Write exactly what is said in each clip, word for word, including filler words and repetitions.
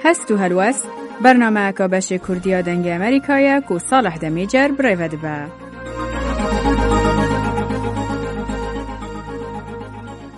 Hest û Helwest, bernameyeka beşê Kurdî ya Dengê Amerîka ye ku Salih Demîcer bi rê ve dibe.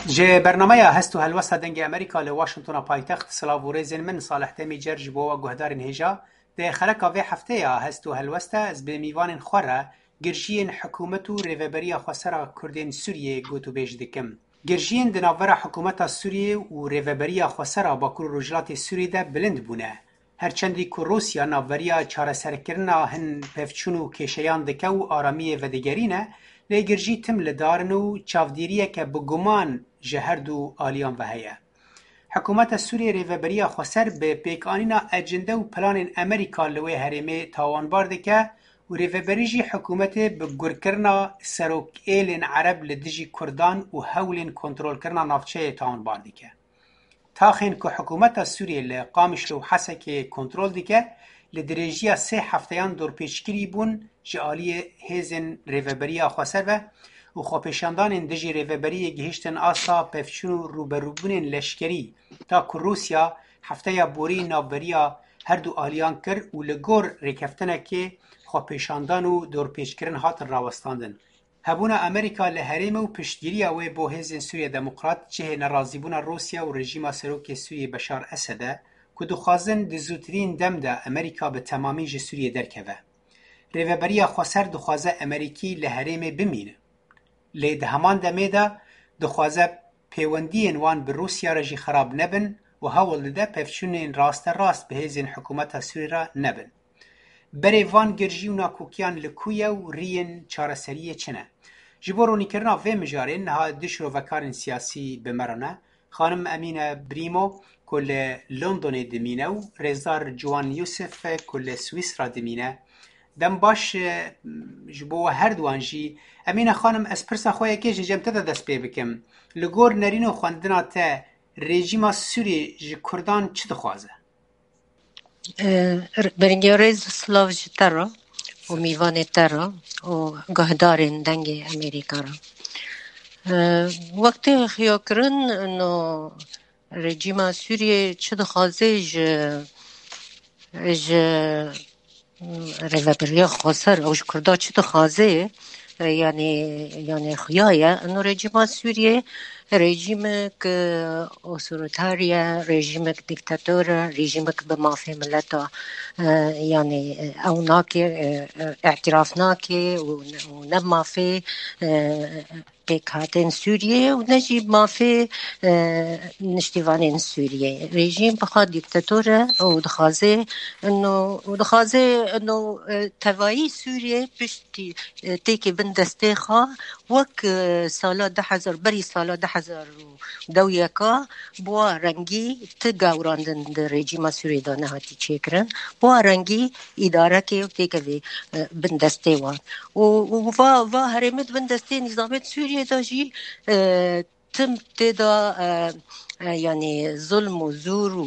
Ji bernameya Hest û Helwesta Dengê Amerîka li Washingtona paytext, silav û rêzên min, Salih Demîcer, ji bo we guhdarên hêja. Di xeleka vê hefteya Hest û Helwesta ez bi mîvanên xwe re girjiyên hikûmet û Rêveberiya Xweser a Kurdên Sûriyê gotûbêj dikim. Girjiyên di navbera hikûmeta Sûriyê û Rêveberiya Xweser a Bakur û Rojhilatê Sûriyê de bilind bûne. Her çendî ku Rûsya navberiya çareserkirina hin pevçûn û kêşeyan dike û aramiyê vedigerîne, lê girjî tim li dar in û çavdîriyeke bi guman ji her du aliyan ve heye. Hikûmeta Sûriyê Rêveberiya Xweser bi pêkanîna ecinde û planên Amerîka li wê herêmê tawanbar dike û rêveberî jî hikûmetê bi gurkirina serokêlên Ereb li dijî Kurdan û hewlên kontrolkirina navçeyê tawanbar dike. Taxên ku hikûmeta Sûriyê li Qamişlo û Hesekê kontrol dike, li dirêjiya sê hefteyan dorpêçkirî bûn ji aliyê hêzên Rêveberiya Xweser ve û xwepêşandanên dijî rêveberiyê gihiştin asta pevçûn û rûberûbûnên leşkerî, ta ku Rûsya hefteya borî navberiya her du aliyan kir û li gor rêkeftinekê xwepêşandan û dorpêçkirin hatin rawestandin. Hebûna Amerîka li herêmê û piştgiriya wê bo Hêzên Sûriya Demokrat cihê nerazîbûna Rûsya û rejîma serokê Sûriyê Beşar Esed e ku dixwazin di zûtirîn dem de Amerîka bi temamî ji Sûriyê derkeve. Rêveberiya Xweser dixwaze Amerîkî li herêmê bimîne. Lê di heman demê de dixwaze pêwendiyên wan bi Rûsya re jî xerab nebin û hewl dide pevçûnên rasterast bi hêzên hikûmeta Sûrî re nebin. Berê van girjî û nakokiyan li ku ye û riyên çareseriyê çi ne? Ji bo ronîkirina vê mijarê niha du şirovekarên siyasî bi me re ne. Xanim Emîne Brîmo ku li Londonê dimîne û rêzdar Ciwan Yusif ku li Swîsra dimîne. Dem baş, e, ji bo we her duwan jî. Emîne xanim, ez pirsa xwe yekê ji cem te de dest pê bikim. Li gor nerîn û xwendina te, rejîma Sûriyê ji Kurdan çi dixwaze? Bi ringiya rêz û silav ji te re û mîvanê te re û guhdarên Dengê Amerîka re. Wextê xiyakirin, no, rejîma Sûriyê çi dixwaze ji, ji Rêveberiya Xweser û ji Kurda çi dixwaze, e, yanî, yanî xuya ye. Ino rejîma Sûriyê rejîmek, e, otoriter ye, rejîmek dîktator e, rejîmek bi mafê mileta, e, yanî, e, ew nake, e, e, îtiraf nake û ne, û ne mafê, e, pêkhatên Sûriyê û ne jî mafê, e, niştîvanên Sûriyê. Rejîm bi xwe dîktator e û dixwaze ino, û dixwaze ino, e, tevayî Sûriyê piştî, e, têkê bin destê xwe wek, e, sala du hezar, berî sala du hezar û dewiyeka bi wa rengî ti gawrandin di rejîma Sûriyê de nehatî çêkirin. Bi wa rengî îdarekê û têkevê, e, bin destê wan. û, û va, va herêmê di bin destê nîzamê di Sûriyê de jî, e, tim tê de, e, e, yanî zulm û zûr û,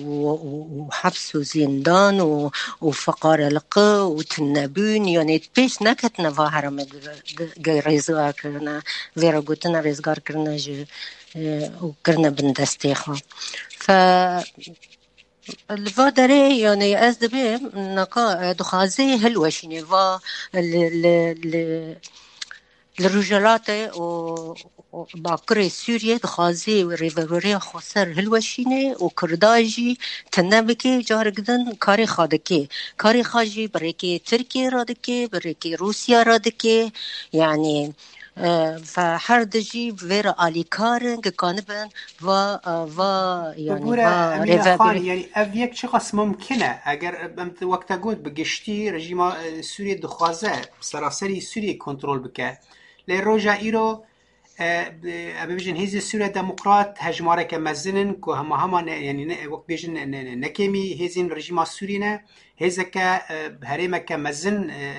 û, û heps û zîndan û, û feqareliqi û tunebûn, yanî pêş neketine va herêmê di, di, di rêzgar kirine, vê re gotine rêzgar kirine ji, e, û kirine bin destê xwe. Fe, Li va derê, yanî ez dibêm, naka, e, dixwaze hilweşînê va li, li, li, li Rojhilatê û, û Bakurê Sûriyê dixwaze rêveberiya xweser hilweşînê û Kurda jî tune bike, carek din karê xwe dike. Karê xwe jî bi rêkê Tirkiyê re dike, bi rêkê Rûsya re dike. Yanî, E, ve her di jî vê re alîkar in, ki kanibin va, e, va, yanî Bibûre, va Emîne Xan, rêvebirê. Yanî ev yek çiqas mumkin e? Eger em wek te got bi giştî rejîma, e, Sûriyê dixwaze seraserî Sûriyê kontrol bike. Lê roja îro, e, bi, em bibêjin hêzên Sûriya Demokrat hejmareke mezin in ku hema hema ne, yanî ne, wek bêjin ne, ne, ne, ne kêmî hêzên rejîma Sûriyê ne. Hêzeke, e, herêmeke mezin, e,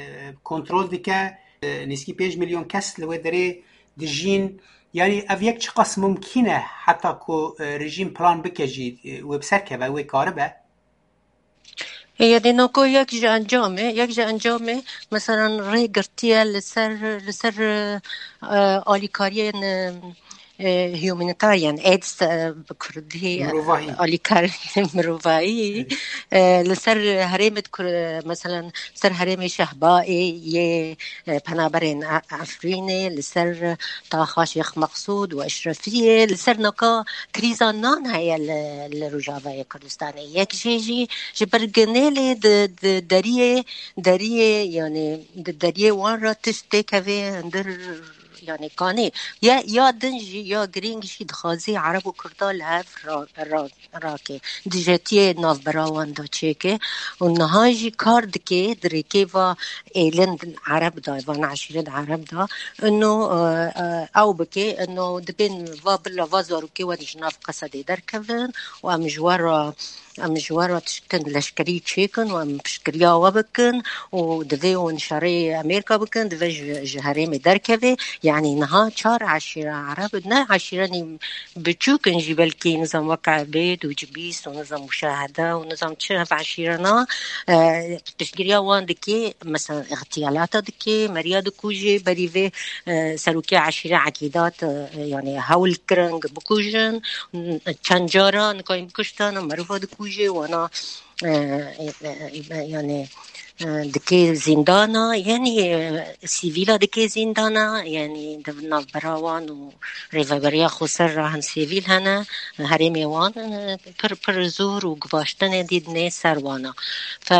kontrol dike. E, nêzîkî pênc milyon kes li wê derê dijîn. Yanî ev yek çiqas mumkîn e heta ku, e, rejîm plan bike jî, e, wê bi ser keve, wê karibe? E, yanî nako yek ji encamê, yek ji encamê, meselan, rê girtiye li ser, li ser, e, alîkariyên, e, e, humanitarian aids, e, bi kurdî, e, Mirovahî. Alîkar mirovahî, e, li ser herêmê di Kur-, e, meselen li ser herêmê Şehbayê yê, e, penaberên E-, Efrînê, li ser taxa Şêx Meqsûd û Eşrefiyê, li ser naka krîza nan heye li, li Rojavayê Kurdistanê. Yek jê jî ji ber Genêlê di, di deriyê, deriyê, yani di deriyê wan re tişt têkevê hundir, yani kanê. Ya, ya din jî, ya girîng jî dixwazî Ereb û Kurda li hev ra, ra, rake. Dijetiyê navbera wan de çêke. Û niha jî kar dike, di rêkê va êlin Ereb de, van eşîret Ereb de. Ino, e, e, ew bike, ino dibên va bila va zarokê wan ji nav Qesedê derkevin û em ji we re em ji we re tiştin leşkerî çêkin û em piştgiriya we bikin û divê hûn şerê Amerîka bikin, divê ji, ji herêmê derkevê. Yanî niha çar eşîra Ereb, ne eşîrenî biçûk in jî, belkî nizam wek Ebêd û Cibîs û nizam Muşahede û nizam çi hev eşîrena, e, piştgiriya wan dikê, mesela îxtiyalata dikê, meriya dikujê, berî vê, e, serokê eşîre Ekîdat, e, yani hewl kirin bikujin, çend cara nikayîn bikuştin, meriva dikujê, wana, e, e, e, e, yani, e, dikê zîndana, yani, e, sivîla dikê zîndana, yani di navbera wan û rêveberiya xweser re hin sivîl hene, herêmê wan, e, pir, pir zor û guvaştinê dî dinê ser wana. Fe,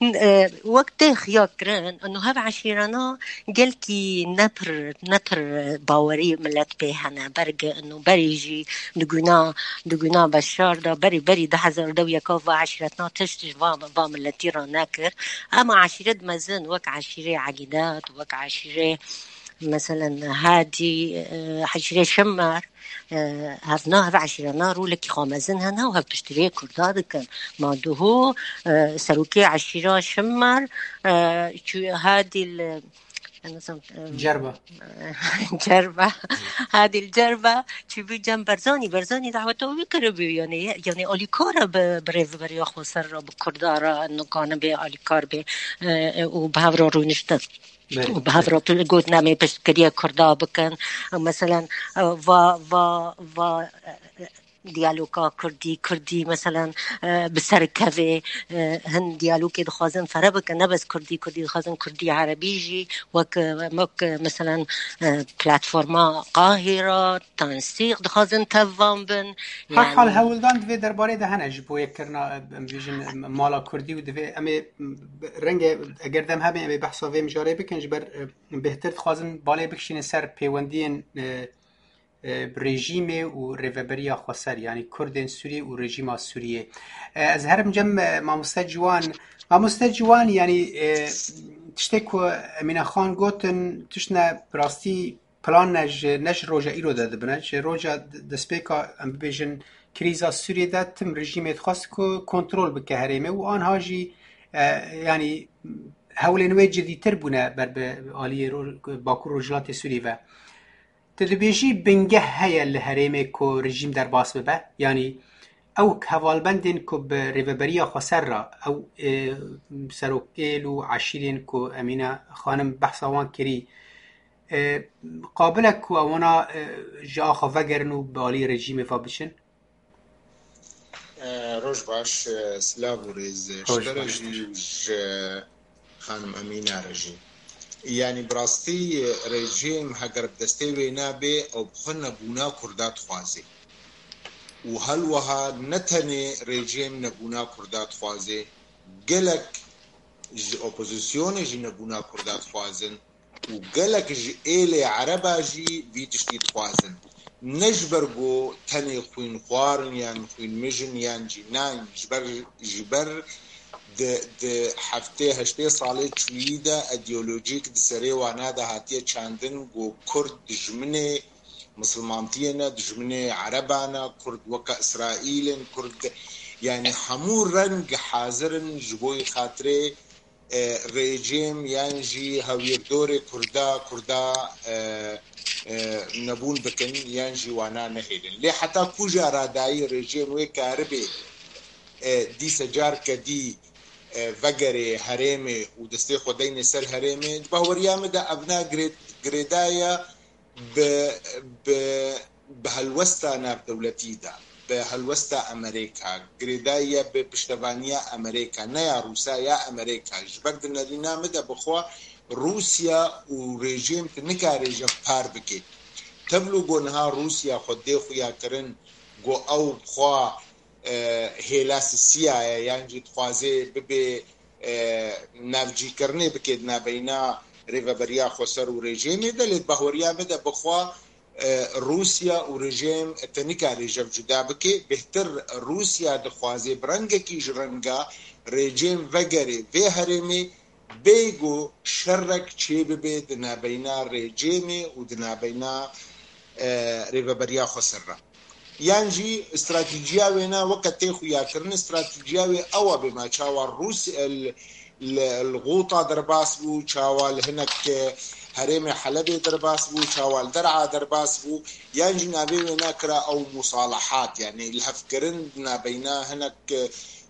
e, wek tê xiya kirin, ino hev eşîrana gelkî ne pir, ne pir bawerî millet pê hene. Berge ino berî jî di guna, di guna Beşar de, berî, berî du hezar û deh yeka va eşîretna tişt ji va, va milletî re nekir. Ema eşîret mezin wek eşîrê Egîdat, wek eşîrê, meselen, Hadî, e, eşîrê Şimmer, e, hevna, hev eşîrana rolekî xwe mezin hene û hev piştgiriyê Kurda dikin. Ma duho, e, serokê eşîra Şimmer, e, çû Hadî li, e, nizam, e, Cerba. Cerba. Hadî li Cerba çûbû cem Berzanî. Berzanî daweta wî kiribû, yani, yani alîkar e bi, bi rêveberiya xweser re, bi Kurda re, nikanibe alîkar be, e, e, û bi hev re rûniştin. Belê, û bi hev re tu-, got, nemê piştgiriya Kurda bikin. Meselen, e, va, va, va, e, diyaloga Kurdî, Kurdî, meselen, e, bi ser kevê, e, hin diyalogê dixwazin fere bikin, ne bes Kurdî, Kurdî dixwazin, Kurdî Erebî jî, wek, e, wek, e, meselen, e, platforma Qahira, Tansîq dixwazin tev van bin. Her hal Yani hewldan di vê derbarê de hene ji bo yekkirina, e, em bêjin, e, mala Kurdî û divê em ê, e, renge eger dem hebe em ê behsa vê mijarê bikin, ji ber, e, bêhtir dixwazin balê bikişînin ser pêwendiyên, e, e, rejîmê û rêveberiya xweser, yanî Kurdên Sûriyê û rejîma Sûriyê. E, ez herim cem, e, mamoste Ciwan. Mamoste Ciwan, yanî, e, tiştê ku Emîne Xan gotin, tiştine bi rastî plan ne ji, ne ji roja îro de dibine. Ji roja d-, destpêka, em bibêjin, krîza Sûriyê de tim rejîmê dixwest ku kontrol bike herêmê û anha jî, e, yanî hewlên wê cidîtir bûne ber bi aliyê ro-, Bakur Rojhilatê Sûriyê ve. Tu dibêjî bingeh heye li herêmê ku rejîm derbas bibe? Yanî ew hevalbendên ku bi rêveberiya xweser re, ew, e, serokêl û eşîrên ku Emîne Xanim behsa wan kirî, e, qabil e ku ewana, e, ji axa vegerin û bi alî rejîmê ve biçin? E, roj baş, e, silav û rêz ji Roj te re baş. Jî û ji xanim Emîna re jî. Yanî bi rastî, e, rejîm heger bi destê wê nabê, ew bi xwe nebûna Kurda dixwazê. Û hal wiha ne tenê rejîm nebûna Kurda dixwazê, gelek ji opozisyonê jî nebûna Kurda dixwazin û gelek ji êlê Ereba jî vî tiştî dixwazin. Ne ji ber ku tenê xwînxwar in yan xwînmij in yan jî nayên, ji ber, ji ber di, di heftê heştê salê çûyî de îdeolojîk di serê wana de hatiye çandin ku Kurd dijminê misilmantiyê ne, dijminê Ereban e, Kurd weke Îsraîl in, Kurd, yanî hemû reng hazir in ji bo xatirê, e, rejîm yan jî hewîrdorê Kurda, Kurda, e, e, nebûn bikin yan jî wana nehêlin. Lê heta ku jî aradayî rejîm wê karibê, e, dîse carke dî, e, vegerê herêmê û destê xwe deyne ser herêmê, di baweriya min de evna girê-, girêdaya bi, bi bi helwesta navdewletî de, bi helwesta Amerîka, girêdayî ye bi piştevaniya Amerîka, ne ya Rûsa, ya Amerîka. Ji ber di nerîna min de bi xwe Rûsya û rejîm tu nikarê ji par bike. Tevlû ku niha Rûsya xwe dê xuya kirin ku ew bi xwe, e, hêla sisiya ye, yan jî dixwaze bibe, e, navcîkirinê bike di navbeyna Rêveberiya Xweser û rejîmê de, lê di bahweriya min de bi xwe, e, Rûsya û rejîm te nikarê ji hev cuda bike. Bêhtir Rûsya dixwaze bi rengekî ji renga rejîm vegere vê herêmê, bêgo şerek çêbibe di navbeyna rejîmê û di navbeyna, e, Rêveberiya Xweser re. Yan jî stratejîya wêna weke tê xuyakirin, stratejîya wê ew e bê me çawa Rûs-, li, li Xûta derbas bû, çawa li hinek, e, herêmê Helebê derbas bû, çawa li Der'a derbas bû, yan jî navê wêna kira ew musalahat, yanî lihevkirin di navbeyna hinek,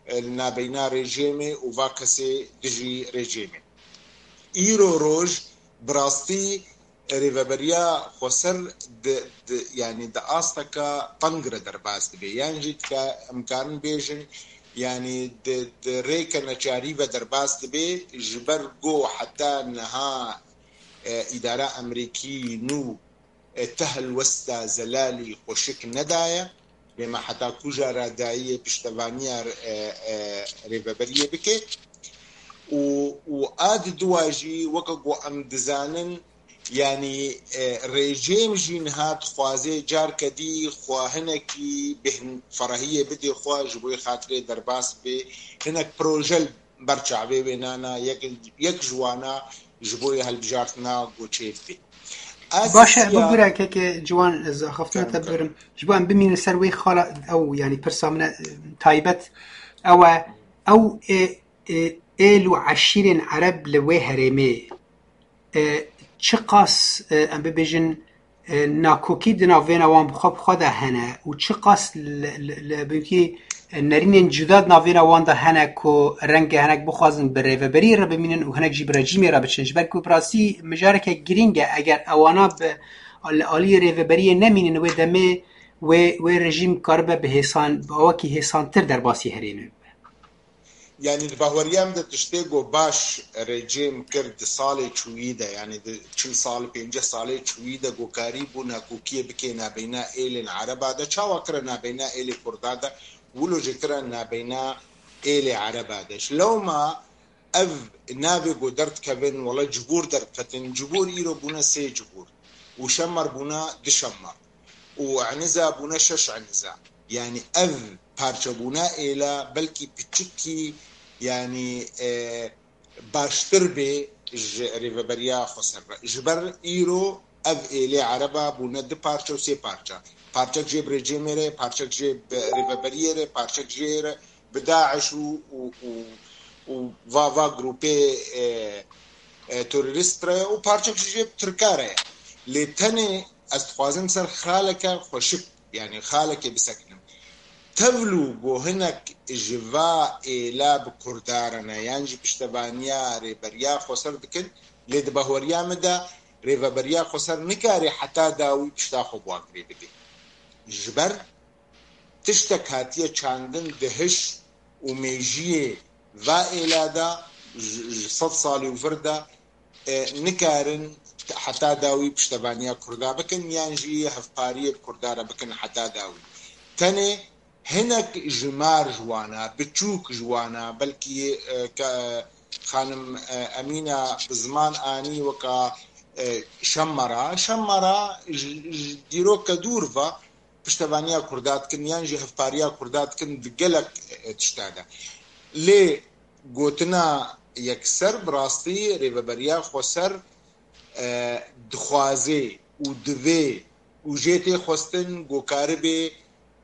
e, li navbeyna rejîmê û va kesê dijî rejîmê. Îro roj bi rastî Rêveberiya Xweser di, di, yanî di asteke teng re derbas dibe. Yan jî dika, em karin bêjin, yanî di, di rêke neçarî ve derbas dibe, ji ber ku heta niha, e, îdara Amerîkî nû, e, ti helwesta zelalî xweşik nedaye. Bê me heta kuja radayiyê piştevaniya, e, e, rêveberiyê bike. Û, û a di dua jî weke ku em dizanin, yanî, e, rejîm jî niha dixwaze carke dî xwe hinekî bêhn-, ferahiyê bidê xwe ji bo xatirê derbas bê hinek proje ber çavê wê nana, yek, yek ji wana ji bo yê hilbijartina goçê bê. Baş e, Aziziya bibûre keke ciwan, ez axaftina te Kerem, kerem. Bibirim. Ji bo em bimînin ser wê xala ew, yanî pirsa min e, taybet ew e, ew ê, ê, êl û eşîrên Ereb li wê herêmê, e, çiqas, e, em bibêjin, e, nakokî di navbêna wan bi xwe bi xwe de hene û çiqas li, li, li, belkî, e, nerînên cuda di navbêna wan de hene ku renge hinek bixwazin bi rêveberiyê re bimînin û hinek jî bi rejîmê re biçin. Ji ber ku bi rastî mijareke girîng e, eger ewana bi, li aliyê rêveberiyê nemînin, wê demê wê, wê rejîm karibe bi hêsan, bi awakî hêsantir derbasî herêmê bibe. Yanî di bahweriya min de tiştê ku baş rejîm kir di salê çûyî de, yanî di çil sal, pênceh salê çûyî de ku karîbû nakokiyê bike nabeyna êlên Ereba de, çawa kire nabeyna êlê Kurda de, wilo jî kire nabeyna êlê Ereba de. Ji lewma ev navê ku derdikevin, wele cibûr derdiketin, cibûr îro bûne sê cibûr û şemmer bûne du şemmer û eniza bûne şeş eniza. Yanî ev parçebûna êla belkî piçikî, yanî, e, baştir bê ji rêveberiya Xweser re. Ji ber îro ev êlê Ereba bûne du parçe û sê parçe. Parçek jê bi rejîmê re, parçek jê bi rêveberiyê re, parçek jê re bi DAIŞ û, û, û, û va, va grûpê, e, e, terorîst re ye û parçek jî jê bi Tirka re ye. Lê tenê ez dixwazim ser xaleke xweşik, yanî xalekê bisekinim. Tevlû ku hinek ji va êla bi Kurda re ne, yan jî piştevaniya Rêberiya Xweser dikin, lê di bahweriya min de Rêveberiya Xweser nikare heta dawî pişta xwe bi wan girê bide. Ji ber tiştek hatiye çandin di hiş û mêjiyê va êla de, ji, ji sed salî û vir de, e, nikarin heta dawî piştevaniya Kurda bikin, yan jî hevpariyê bi Kurda re bikin heta dawî. Tenê hinek ji mar ji wana, biçûk ji wana, belkî, e, ke, xanim, e, Emîna bi ziman anî weka, e, Şemmera. Şemmera ji, ji dîroke dûr ve piştevaniya Kurda dikin, yan jî hevpariya Kurda dikin di gelek, e, tişta de. Lê gotina yekser bi rastî Rêveberiya Xweser, e, dixwaze û divê û jê tê xwestin ku karibê,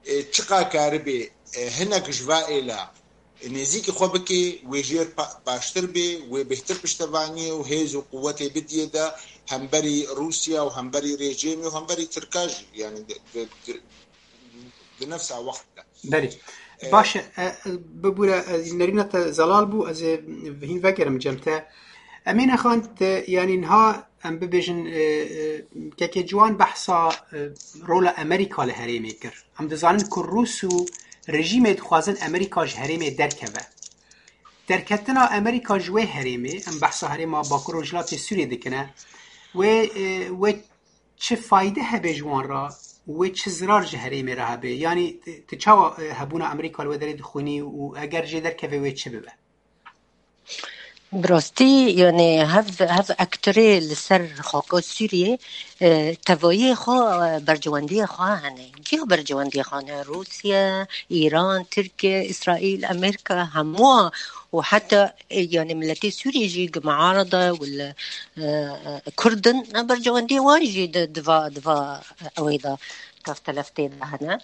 e, çiqa karibê, e, hinek ji va êla nêzîkî xwe bike, wê jêr pa-, baştir bê, wê bêhtir piştevaniyê û hêz û quwetê bidiyê de hemberî Rûsya û hemberî rejîmê û hemberî Tirka jî, yanî di, di, di, di nefsa wext de. Belê. E, Baş e, e, bibûre, e, nerîna te zelal bû, ez ê hîn vegerim cem te. Emîne Xan, te, yanî niha em bibêjin, e, e, kekê Ciwan behsa, e, rola Amerîka li herêmê kir. Em dizanin ku Rûs û rejîmê dixwazin Amerîka ji herêmê derkeve. Derketina Amerîka ji wê herêmê, em behsa herêma Bakur Rojhilatê Sûriyê dikine, wê, e, wê çi fayde hebe ji wan re û wê çi zirar ji herêmê re hebe? Yanî, e, tu çawa, e, hebûna Amerîka li wê derê dixwînî û eger jê derkeve wê çi bibe? Bi rastî, yanî hev, hev ektorê li ser xaka Sûriyê, e, tevayê xwe, e, bercewendiyê xwe hene. Ciya bercewendiyê xwe hene. Rûsya, Îran, Tirkiye, Îsraîl, Amerîka, hemû û heta, e, yanî miletê Sûriyê jî gi miarada û li, e, e, Kurd in, bercewendiyê wan jî di, di va, di va, e, ewê de keftelef tê de hene.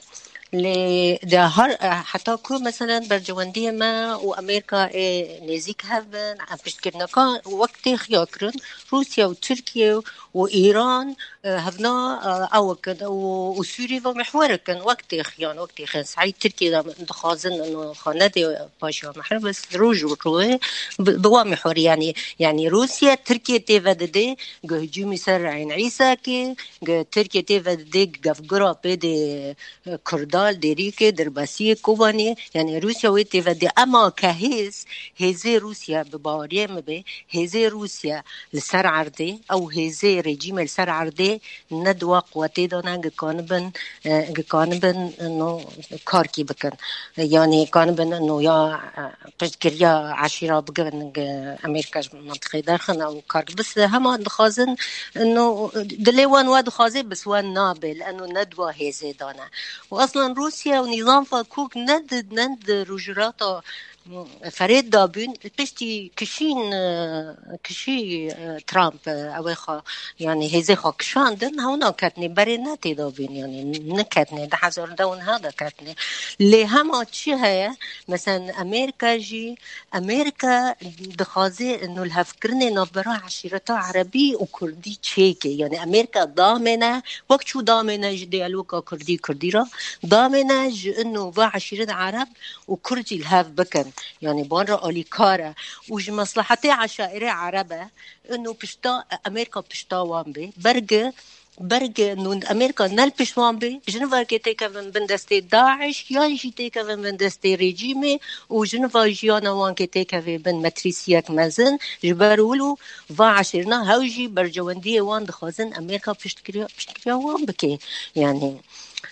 Lê de her, heta ku, meselen, bercewendiyê me û Amerîka ê nêzîk hev bin, em piştgirneka wek tê xiya kirin, Rûsya û Tirkiye û Îran, e, hevna, e, ew kin û, û Sûrî ve mihwer kin, wek tê xiyan, wek tê xiyan. Sahî Tirkiye de dixwazin, ino xwe nedê paşa mihwer, bes roj û rûyê bi, bi wa mihwer, yanî, yanî Rûsya Tirkiye tê vedidê, gi hicûmî ser Eyn Îsa kê, gi Tirkiye tê vedidê, gi gevgura pê dê, e, Kurda, Dêrîkê, Dirbasiyê, Kobaniyê, yanî Rûsya wê tê vedê. Ema ke hêz, hêzê Rûsya bi baweriyê min bê, hêzê Rûsya li ser erdê, ew hêzê rejîmê li ser erdê ne di wa quwetê de ne, gi kanibin, e, gi kanibin, no, karkî bikin. Yanî kanibin, no, ya, e, piştgiriya eşîra bigirin, gi Amerîka ji mentiqê derxin, ew kar bise. Hema dixwazin, no, dilê wan wa dixwaze, bes wan nabe, li eno ne di wa hêzê de ne. Û aslan Rûsya û nîzam fa kok ne di, ne di rojhilata, mm, ferê de bûn, piştî kişîn, e, kişî, e, Trump, e, ew ê xwe, yanî hêzê xwe kişandin, hewna ketnê, berê ne tê de bûn, yanî neketnê, di hezar de û neh de ketnê. Lê hema çi heye, meselen Amerîka jî, Amerîka dixwaze nûlhevkirinê navbera eşîreta erebî û kurdî çêke. Yanî Amerîka damêne, wek çû damêne ji diyaloga kurdî kurdî re, damêne ji ino va eşîret ereb û kurd jî li hev bikin. Yanî ban re alîkar e. Û ji meslehetê eşairê ereb e, ino pişta, Amerîka pişta wan bê. Berge, berge nûn Amerîka ne li pişt wan bê, ji nivakê têkevin bin destê DAIŞ, yan jî têkevin bin destê rejîmê û ji niva jiyana wan kê têkevê bin metrîsiyek mezin, ji ber wilo va eşîrna hew jî bercewendiyê wan dixwazin Amerîka piştgiriya, piştgiriya wan bike. Yanî,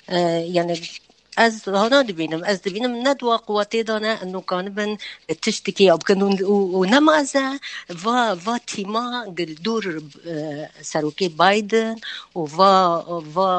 e, yanî ez hana dibînim, ez dibînim ne di wa quwetê de ne, ino kanibin tiştekî ya bikin û, û, û nema ez e, va, va tîma gi li dûr, e, serokê Biden û va, va,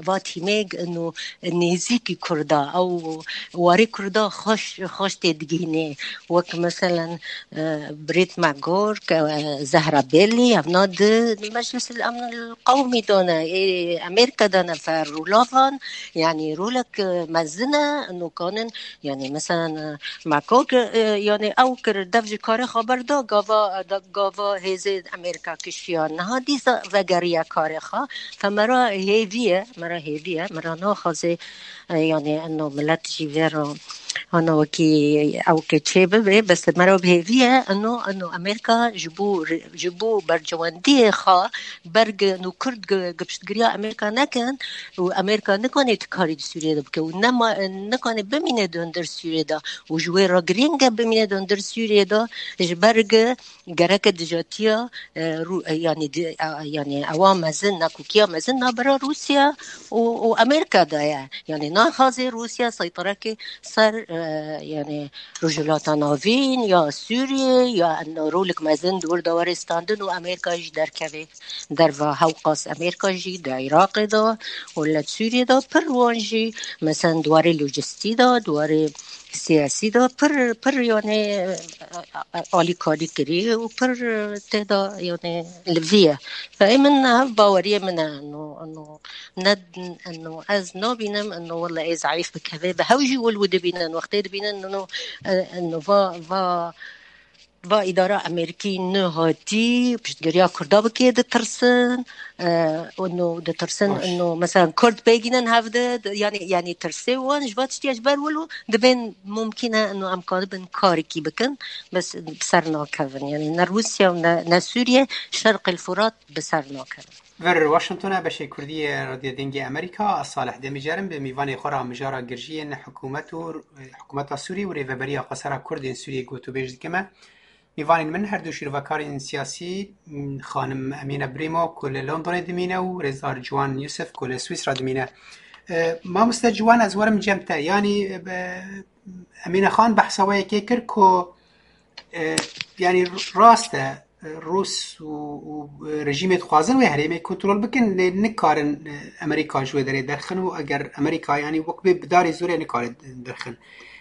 va tîmê ino nêzîkî Kurda, ew warê Kurda xweş, xweş tê digihînê. Wek meselen, e, Brett McGurk, e, Zehra Belli, evna di Meclis el Emn el Qewmî de ne, ê Amerîka de ne, fer rolavan, yanî rolek, e, mezin e, ino kanin, yanî meselen, e, McGurk, e, yanî ew kir dev ji karê xwe berda, gava, e, da-, gava hêzê Amerîka kişiya. Niha dîsa vegeriya karê xwe, fe me re hêvî ye, me re hêvî ye, me re naxwaze, e, yanî ino milet jî vê re hana wekî ew ke çê bibe, bes me re hêvî ye, ino, ino Amerîka ji bo, ji bo bercewendiyê xwe berge ino Kurd gi, gi piştgiriya Amerîka nekin û Amerîka nikane ti karî di Sûriyê de bike û nema, nikane bimîne di hundir Sûriyê de û ji wê re girîng e bimîne di hundir Sûriyê de, ji ber gi gereke dijatiya, e, Rû-, e, yanî di-, e, yanî ewa mezin, nakokiya mezin navbera Rûsya û, û Amerîka de ye. Yanî naxwaze Rûsya seyterekê ser, e, yanî Rojhilata Navîn ya Sûriyê ya eno rolik mezin di wir de were standin û Amerîka jî derkeve derva. Hewqas Amerîka jî di Iraqê de û li Sûriyê de pir wan jî, meselen, di warê lojistî de, di warê siyasî de pir, pir, yanî, e, e, e, alîkarî kirî û pir, e, tê de, yanî, li vî ye. Ve ê min hev baweriyê min e, eno, eno, ne, eno, ez nabînim, eno, wele ê zeîf bikeve. Bi hew jî wil wi dibînin, wextê dibînin, eno, e, eno, va, va, va îdara Amerîkî nehatî piştgiriya Kurda bikê, ditirsin, e, û no ditirsin, Baş. no mesela Kurd bêgînin hevde, di-, yani, yani tirsê wan ji va tiştiya ji ber wilo dibên mumkîn e, no em karibin karekî bikin, bes bi ser nakevin. Yani ne Rûsya û ne, ne Sûriye, Şerqil Furat bi ser nakevin. Vir Washingtona beşê Kurdî yê Radyo Dengê Amerîka, ez Salih Demîcer im, bi mîvanê xwe re mijara girjiyên hikûmet û, hikûmeta Sûrî û rêveberiya xwesera Kurdên Sûriyê gotûbêj dikime. Mîvanên min her du şîrovekarên siyasî, m, xanim Emîne Brîmo ku li Londonê dimîne û rêzdar Ciwan Yusuf ku li Swîsra dimîne. E, mamoste Ciwan, ez werim cem te. Yanî, e, be-, Emîne Xan behsa wê yekê kir ku, e, yanî rast e, e, Rûs û, û, e, rejîmê dixwazin wê herêmê kontrol bikin, lê nikarin, e, Amerîka ji wê derê derxin û eger Amerîka, yanî wek bê bi darê zorê nikare derxin.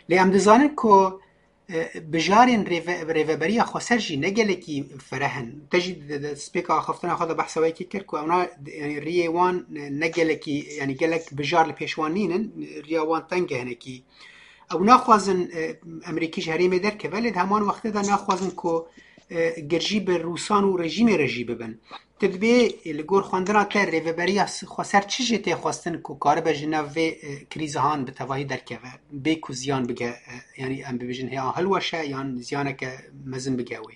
Lê em dizanin ku, e, bijarên rêve-, rêveberiya xweser jî ne gelekî fereh in. Te jî di, di, di spêka axaftina xwe de behsa wê yekê kir ku ewna, yanî riyê wan, e, ne gelekî, yanî gelek bijar li pêş wan nînin, riya wan teng e hinekî. Ew naxwazin, e, Amerîkî ji herêmê derkeve, lê di heman wextê de naxwazin ku, e, girjî bi Rûsan û rejîmê re jî bibin. Tu dibê, e, li gor xwendina te rêveberiya s-, xweser çi jê tê xwestin ku karibe ji nav vê, e, krîza han bi tevahî derkeve, bê ku ziyan bige, e, yanî em bibêjin hê a hilweşe yan ziyaneke mezin bige wê?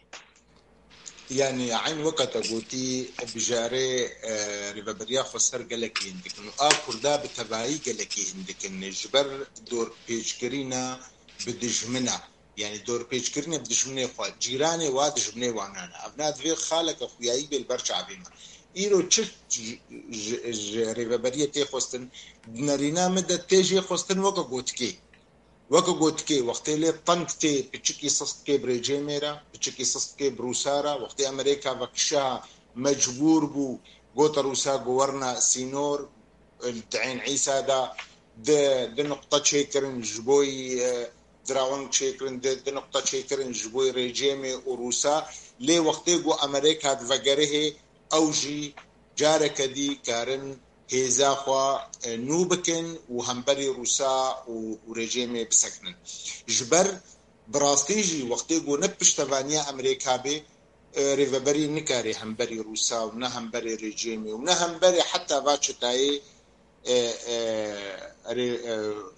Yanî eyn weke te gotî, bijarê, e, rêveberiya xweser gelekî hindik in û a Kurda bi tevayî gelekî hindik in. Ji ber dorpêçkirîna bi dijmina, yanî dorpêçkirinê bi dijminê xwe, cîranê wa dijminê wanan e. Evna divê xaleke xuyayî bê li ber çavê me. Îro çi ji, ji, ji rêveberiyê tê xwestin, di nerîna min de tê jê xwestin weke gotikê. Weke gotikê, wextê lê teng tê, piçikî sist dikê bi rejêmê re, piçikî sist dikê bi Rûsa re, wextê Amerîka vekişa mecbûr bû, gote Rûsa ku werna sînor, li Teyn Îsa de di, di nuqte çêkirin ji bo, e, diraweng çêkirin, di, di nuqte çêkirin ji bo rejêmê û Rûsa. Lê wextê ku Amerîka divegerihê, ew jî careke dî karin hêza xwe, e, nû bikin û hemberî Rûsa û, û rejêmê bisekinin. Ji ber bi rastî jî wextê ku ne piştevaniya Amerîka bê, e, rêveberî nikare hemberî Rûsa û ne hemberî rejêmê û ne hemberî heta va çetayê, e, e, rê-, e,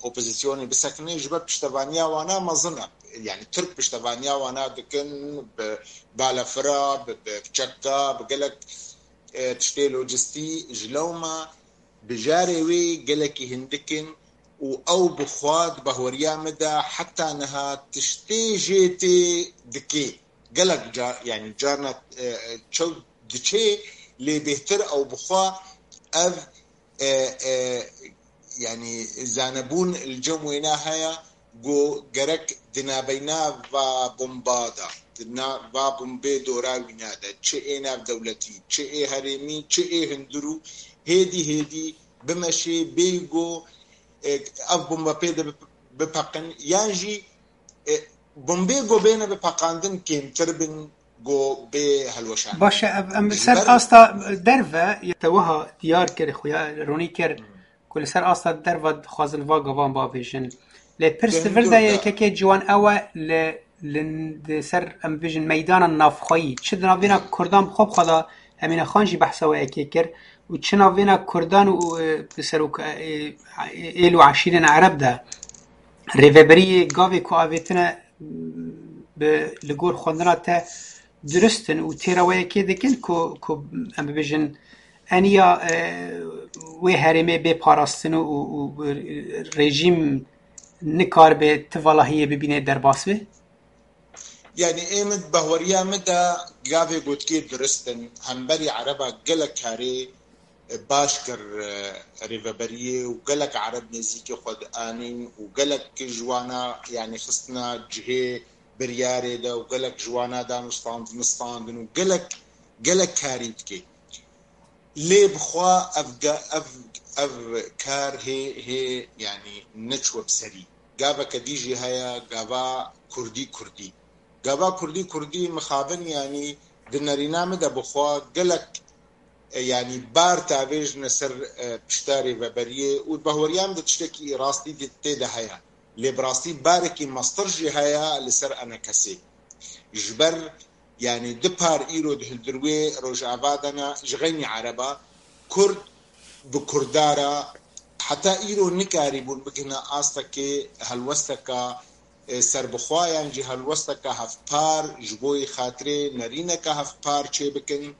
opozîsyonê bisekine, ji ber piştevaniya wana mezin e. Yani Tirk piştevaniya wana dikin bi balefira, bi, bi çeka, bi gelek, e, tiştê lojistî. Ji lewma bijarê wê gelekî hindik in û ew bi xwe di bahweriya min de heta niha tiştê jê tê dikê. Gelek car, yani carna, e, e, çew diçê, lê bêhtir ew bi xwe ev, e, e, yani zanebûn li cem wêna heye, ku gerek di nabeyna va bomba de, di na-, va bombê dora wîna de, çi ê navdewletî, çi ê herêmî, çi ê hundirû, hêdî hêdî bimeşê, bêyî ku, e, ev bomba pê de bip-, bipeqin, yan jî, e, bombê ku bêne bipeqandin kêmtir bin ku bê helweşandin. Baş e, ev em li Ji ser ber asta derve, te wiha diyar kir, xuya ronî kir, Hmm. ku li ser asta derve dixwazin va gavan bavêjin. Lê pirs Di vir de hundir de. yekekê ciwan ew e, li, li, li ser, em bibêjin, meydana navxweyî. Çi di navbêna Kurdan bi xwe bi xwe de, Emîne Xan jî behsa wê yekê kir, û çi navbêna Kurdan û, e, bi serok, e, e, êl û eşîrên Ereb de rêveberiyê gavê ku avêtine, bi, li gor xwendina te durist in û têra wê yekê dikin ku, ku em bibêjin eniya, e, wê herêmê bê parastin û, û, û rejîm nikaribe ti valahiyê bibîne derbas be? Yani ê min bahweriya min de gavê gotkê durist in. Hemberî Ereba gelek karê baş kir, e, rêveberiyê û gelek Ereb nêzîkî xwe dianîn û gelek ji wana, yani xistina cihê biryarê de û gelek ji wana danûstandin, standin û gelek, gelek karî dike. Lê bi xwe ev ge-, ev, ev kar hê, hê, yani neçwe bi serî. Gaveke dî jî heye, gava kurdî kurdî. Gava kurdî kurdî mixabin, yani di nerîna min de bi xwe gelek, e, yani bar tavêjine ser, e, pişta rêveberiyê û bahweriya min de tiştekî rastî di-, tê de heye. Lê bi rastî barekî mestir jî heye li ser enekesê. Ji ber, yanî du par îro di hundirê Rojava de ne, ji xeynî Ereba, Kurd bi Kurda re heta îro nikarîbûn bigihine astekê helwesteke, e, serbixwe yan jî helwesteke hevpar ji bo yê xatirê nerîneke hevpar çêbikin.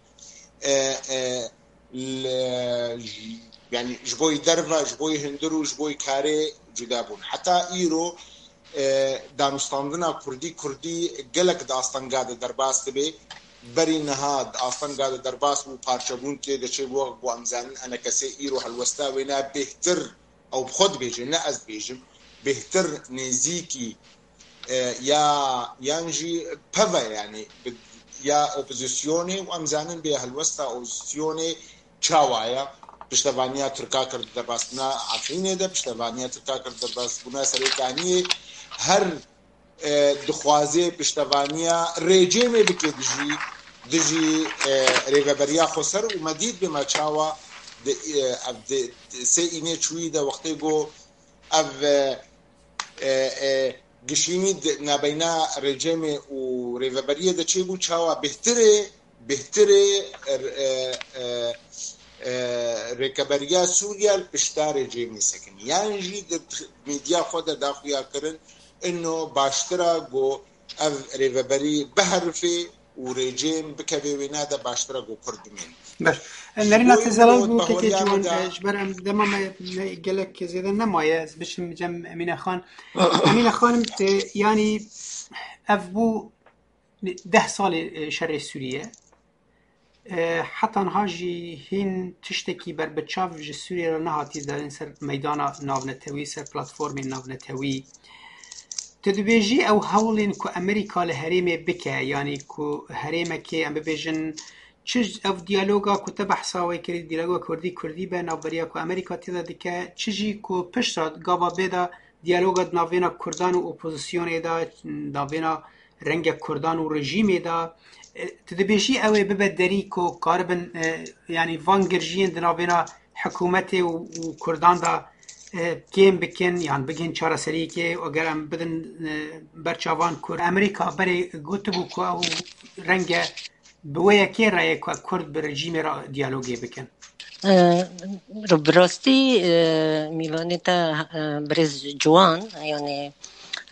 E, e, li, yanî ji bo yê derve, ji bo yê hundir û ji bo yê karê cuda bûn. Heta îro, e, danûstandina kurdî, kurdî gelek di astenga de derbas dibe. Berî niha di astenga de derbas bû, parçebûn tê de çêbû, wek ku em zanin, enekesê îro helwesta wê ne bêhtir, ew bi xwe dibêje, ne ez dibêjim, bêhtir nêzîkî, e, ya, yan jî peve, yanî bi, ya opozisyonê û em zanin bê helwesta opozisyonê çawa ye. Piştevaniya Tirka kir di derbasbûna Efrînê de, piştevaniya Tirka kir di derbasbûna Serêkaniyê. Her, e, dixwaze piştevaniya rejîmê bike dijî, dijî, e, rêveberiya xweser û me dît bê me çawa di, e, ev di, di sê înê çûyî de wextê ku ev, e, e, e, gişînî di nabeyna rejîmê û rêveberiyê de çêbû, çawa bêhtirê, bêhtirê, e, e, e, e, rêkeberiya Sûriye li pişta rejîmê sekinî. Yan jî di medya xwe de daxuya kirin, ino baştir e ku ev rêveberî biherife û rejîm bikeve wêne de, baştir e ku Kurd bimînin. Baş. E, Nerîna, te zelal bû, kekê Ciwan, e, ji ber em dema me ne, gelek zêde nemaye, ez biçim cem Emîne Xan. Emîne Xanim, e, yanî ev bû deh salê, e, şerê Sûriye. E, heta niha jî hîn tiştekî berbiçav ji Sûriye re nehatî darin ser meydana navnetewî, ser platformên navnetewî. Tu dibêjî ew hewlên ku Amerîka li herêmê bike, yanî ku herêmekê, em bibêjin, çi ev diyaloga ku te behsa wê kirî, diyaloga Kurdî Kurdî be, navberiya ku Amerîka tê de dike, çi jî ku piştre gava bê de diyaloga di navêna Kurdan û opozisyonê de, navêna rengek Kurdan û rejîmê de, e, tu dibêjî ew ê bibe derî ku karibin, e, yanî van girjiyên di navêna hikûmetê û, û Kurdan de, e, kêm bikin yan bigihên çareseriyekê, eger em bidin, e, ber çavan Kurd. Amerîka berê gotibû ku ew renge bi wê yekê re ye ku Kurd bi rejîmê re diyalogê bikin. E, bi rastî, e, mîvanê te, e, birêz Ciwan, yanî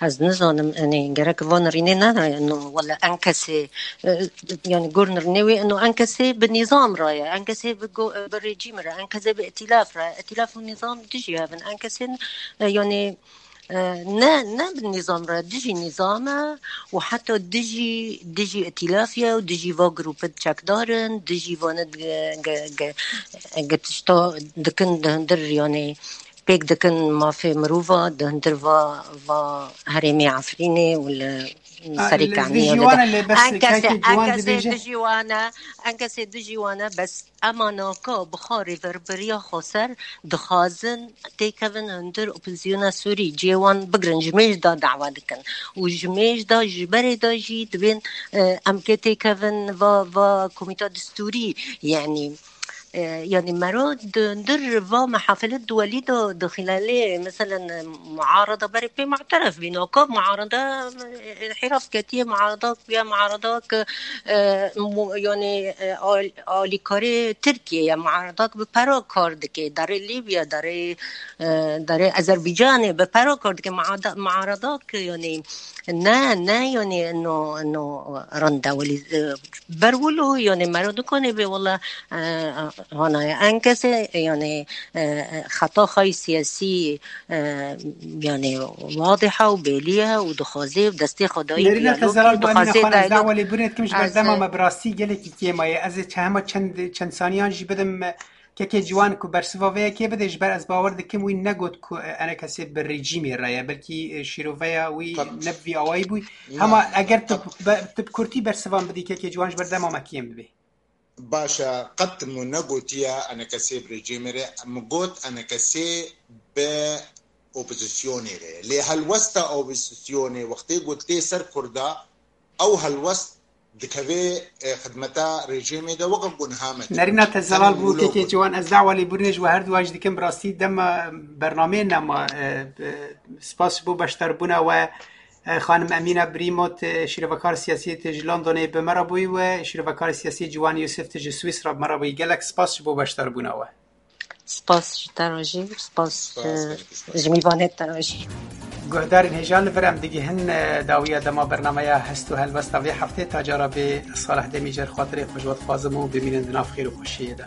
ez nizanim, yanî gerek van rînê nere, no, wele enkesê, e, yanî gor nirnê wê, no enkesê bi nîzam re ye, enkesê bi go-, bi rejîm re, enkesê bi îtîlaf re, îtîlaf û nîzam dijî hev in, enkesên, e, yanî, e, ne, ne bi nîzam re, dijî nîzam e û heta dijî, dijî îtîlaf ye û dijî va grûpê çekdar in, dijî vane ge-, ge-, ge-, ge tişta dikin di hundir, yanî pêk dikin mafê mirova di hundir va, va herêmê Efrînê û li Serê Kaniyê de. Enkesê, enkesê dijî wane, enkesê dijî wane, bes ema naka bi xwe rêveberiya xweser dixwazin têkevin hundir opozisyona Sûrî, cihê wan bigirin, ji mêj de dawa dikin. Û ji mêj de, ji berê de jî dibên, e, em kê têkevin va, va komîta distûrî, yanî, e, yanî mero di, dir va mehafile duwelî de, di xîlalê, meselen, muarada berê pê mu'teref bî, naka muarada, e, inhîraf ketiye, muarada ya muarada ke, e, mu-, yanî, e, al-, alîkarê Tirkiye ye, muarada ke bi pera kar dike, darê Lîbya, darê, e, darê Azerbaycanê bi pera kar dike, muada-, muarada ke, yanî, ne, ne, yanî, no, no, rende welî, e, ber wilo, yanî, mero nikane bê, wela, e, hanaye enkesê, yanî, e, xeta xay siyasî, e, yanî, wadiha û bêlî ye û dixwaze û destê xwe dayî diyalogê, dixwaze diyalog. Nerîna, te zelal bû, Emîne Xan, ez dawelê birêt kim ji ber dema me bi rastî gelekî kêm e. Ez ê çe-, hema çend, çend saniyan jî bidim, e, Kekê Ciwan ku bersiva vê yekê bide, ji ber ez bawer dikim wî negot ku, e, enekesê bi rejîmê re ye, belkî, e, şîroveya wî ne bi vî awayî bû. Hema eger tu be-, tu bi kurtî bersivan bidî, Kekê Ciwan, ji ber dema me kêm dibe. Baş e, qet min negotiye enekesê bi rejîmê re, min got enekesê bi opozisyonê re ye. Lê helwesta opozisyonê wextê ku tê ser Kurda, ew helwest dikeve, e, xidmeta rejîmê de weke ku niha me tê. Nerîna, te zelal bû, Kekê Ciwan, ez dawa lêbûrînê ji we her duwa jî dikim. Bi rastî dema bernameyê nema, e, e, spas ji bo beşdarbûna we. Xanim Emîna Brîmo, tu şîrovekar siyasî, tu ji Londonê bi me re bûyî we, şîrovekar siyasî Ciwan Yusif, tu ji Swîsra bi me re bûyî. Gelek spas ji bo beşdarbûna we. Spas ji te re jî, spas ji mîvanê te re jî. Guhdarên hêja, li vir em digihin dawiya dema bernameya Hest û Helwesta vê heftê. Ta cara bê, Salih Demîcer xatirê xwe ji we dixwazim û bimînin di nav xêr û xweşiyê de.